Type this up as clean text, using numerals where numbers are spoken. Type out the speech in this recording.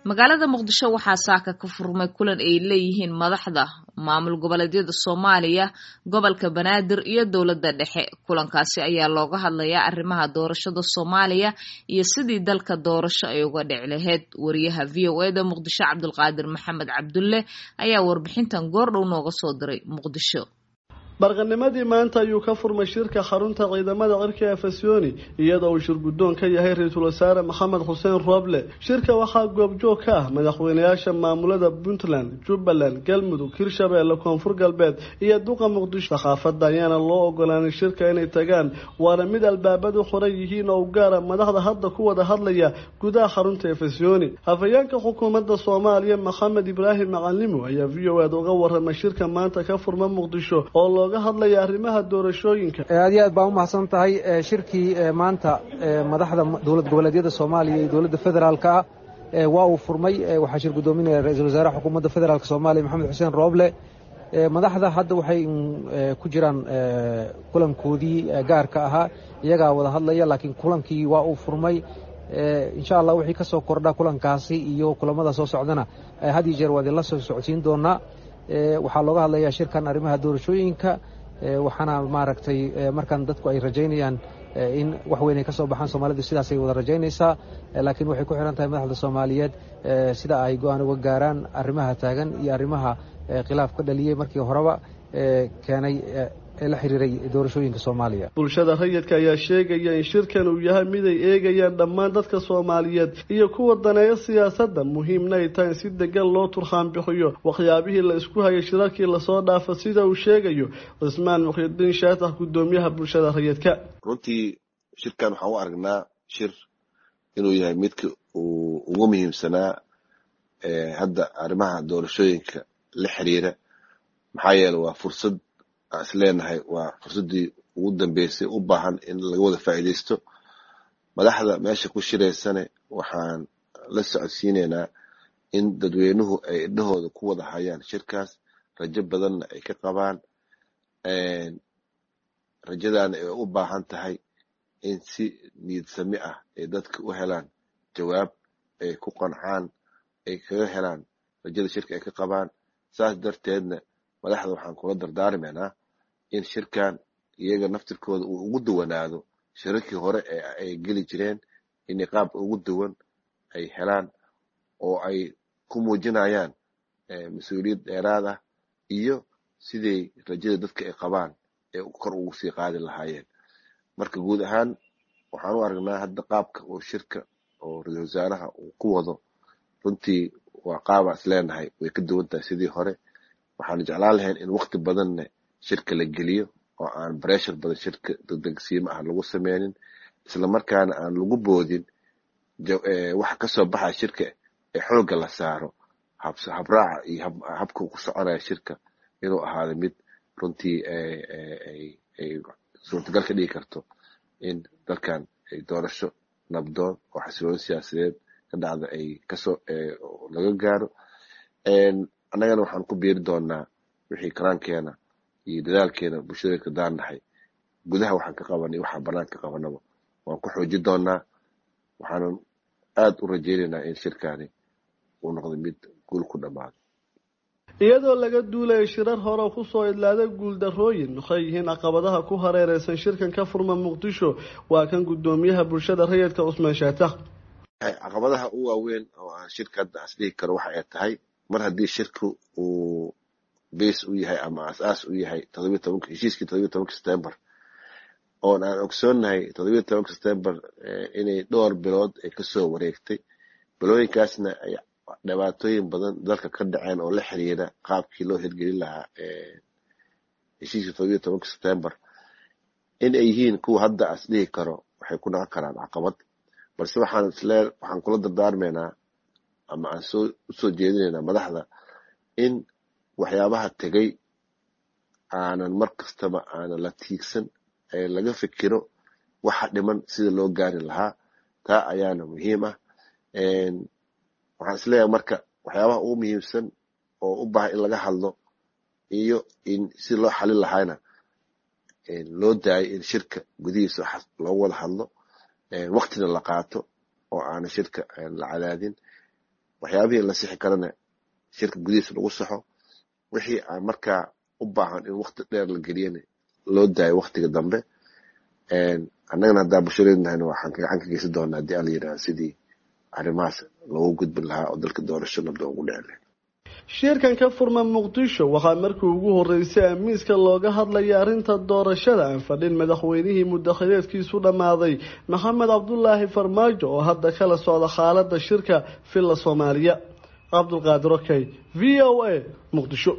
Magaalada Muqdisho waxaa saaka ka furmay kulan ay leeyihiin madaxda maamul goboleedyada Soomaaliya, gobolka Banaadir iyo dowladda dhexe. Kulankaasi ayaa looga hadlayaa arrimaha doorashada Soomaaliya iyo sidii dalka doorasho ay uga dhici lahayd. Wariyaha VOA-da Muqdisho Cabdulqaadir Maxamed Cabdulle ayaa warbixintan goordhow nooga soo diray Muqdisho. Barqanimadii maanta ayuu ka furmay shirka xarunta ciidamada cirka ee Fasyooni, iyadoo uu shir guddoon ka yahay ra-iisul wasaare Maxamed Xuseen Rooble. Shirka waxaa goobjoog ka ah madaxweynayaasha maamulada Puntland, Jubbaland, Galmudug, Hirshabeelle, Koonfur Galbeed iyo duqa Muqdisho. Saxaafadda ayaana loo ogolaanay shirka inay tagaan, waana mid albaabadu xoran yihiin oo u gaara madaxda hadda ku wada hadlaya gudaha xarunta ee Fasyooni. Hafayeenka xukuumadda Soomaaliya Maxamed Ibraahim Macalimo ayaa VOA-da uga waramay shirka maanta ka furma Muqdisho oo looga hadlaya arrimaha doorashooyinka. Aad iyo aad baa umahadsan tahay. Shirkii maanta madaxda dowlad goboleedyada Soomaaliya iyo dowladda federaalka ah waa uu furmay. Waxaa shir guddoominaya ra-iisul wasaaraha xukuumadda federaalk Soomaaliya Maxamed Xuseen Rooble. Madaxda hadda waxay ku jiraan kulankoodii gaarka ahaa, iyagaa wada hadlaya, laakiin kulankii waa uu furmay. Insha Allah wixii ka soo kordha kulankaasi iyo kulamada soo socdana had iyo jeer waa idinla soo socodsiin doonaa. Waxaa looga hadlayaa shirkan arrimaha doorashooyinka, waxaana maaragtay markan dadku ay rajaynayaan in wax weyn ay ka soo baxaan. Soomaalidu sidaasay wada rajaynaysaa, laakiin waxay ku xiran tahay madaxda Soomaaliyeed sida ay go-aan uga gaaraan arrimaha taagan iyo arrimaha khilaaf ka dhaliyey markii horeba keenay ee la xiriiray doorashooyinka Soomaaliya. Bulshada rayidka ayaa sheegaya in shirkan uu yahay mid ay eegayaan dhammaan dadka Soomaaliyeed iyo kuwa daneeya siyaasadda, muhiimna ay tahay in si degan loo turxaan bixiyo waxyaabihii la isku hayay shirarkii lasoo dhaafa, sida uu sheegayo Cismaan Muxyidiin Shaatax, guddoomiyaha bulshada rayidka. Runtii shirkan waxaan u aragnaa shir inuu yahay midka uu ugu muhiimsanaa hadda arrimaha doorashooyinka la xiriira, maxaa yeele waa fursad aan is leenahay, waa fursaddii ugu dambeysay u baahan in laga wada faa'iidaysto. Madaxda meesha ku shiraysane waxaan la socodsiineynaa in dadweynuhu ay indhahooda ku wada hayaan shirkaas, rajo badanna ay ka qabaan, rajadaana ay u baahan tahay in si niyadsami ah ay dadka u helaan jawaab ay ku qancaan, ay kaga helaan rajada shirka ay ka qabaan. Saas darteedna madaxda waxaan kula dardaarmaynaa in shirkan iyaga naftirkooda uu ugu duwanaado shirarkii hore ee ay geli jireen, inay qaab ugu duwan ay helaan oo ay ku muujinayaan mas-uuliyad dheeraad ah iyo siday rajada dadka ay qabaan ee kor ugu sii qaadi lahaayeen. Marka guud ahaan waxaan u aragnaa hadda qaabka oo shirka oo ra-iisul wasaaraha uu ku wado runtii waa qaabaa is leenahay way ka duwan tahay sidii hore. Waxaan jeclaan lahayn in waqti badanna shirka la geliyo oo aan breshar badan shirka degdegsiimo ah lagu sameynin, islamarkaana aan lagu boodin waxa kasoo baxaya shirka ee xoogga la saaro habraaca iyo habka ku soconaya shirka inuu ahaado mid runtii ay suurtagal ka dhigi karto in dalkan ay doorasho nabdoon oo xasiloon siyaasadeed ka dhacda ay kasoo laga gaaro. Annagana waxaan ku biiri doonaa wixii karaankeena iyo dadaalkeena bulshada ka daannahay, gudaha waxaan ka qabanay, waxaan banaanka ka qabanaba waan ku xoojin doonaa. Waxaanan aada u rajaynaynaa in shirkaani uu noqdo mid guul ku dhammaado. Iyadoo laga duulaya shirar hore kusoo idlaaday guuldarrooyin, maxay yihiin caqabadaha ku hareereysan shirkan ka furma Muqdisho? Waa kan guddoomiyaha bulshada rayidka Cusmaan Shaatax. Caqabadaha ugu waaweyn oo aan shirka hadda asdhihi karo waxa ay tahay, mar haddii shirku uu base u yahay ama aas-aas u yahay 17-ka heshiiskii 17-ka September, oon aan ogsoonnahay 17-ka September inay dhowr bilood ay kasoo wareegtay, bilooyinkaasna ay dhibaatooyin badan dalka ka dhaceen oo la xiriira qaabkii loo hirgelin lahaa heshiiskii 17-ka September, in ay yihiin kuwa hadda as dhihi karo waxay ku noqon karaan caqabad. Balse waxaan islee waxaan kula dardaarmaynaa ama aan soo usoo jeedinaynaa madaxda in waxyaabaha tegay aanan mar kastaba aanan la tiigsan, ee laga fikiro waxa dhiman sida loo gaari lahaa. Taa ayaana muhiim ah. Waxaan isleeyahay marka waxyaabaha ugu muhiimsan oo u baahan in laga hadlo iyo in si loo xalin lahaana loo daayo in shirka gudihiisa loogu wada hadlo, waqtina la qaato oo aanan shirka la cadaadin. Waxyaabihii la sixi karana shirka gudihiisa lagu saxo, wixii aan markaa u baahan in wakti dheer la geliyana loo daayo waktiga dambe. Annagana haddaa bulshadeednahayna waxaan gacan ka geysan doonaa haddii ala yidhaha sidii arrimahaas loogu gudbin lahaa oo dalka doorasho nabda ugu dhici lahayd. Shirkan ka furma Muqdisho waxaa markii ugu horeysay amiiska looga hadlaya arrinta doorashada aan fadhin madaxweynihii mudakhileedkiisu dhammaaday Maxamed Cabdulaahi Farmaajo oo hadda kala socda xaaladda shirka Villa Soomaaliya. Cabdulqaadir Okey, V O A, Muqdisho.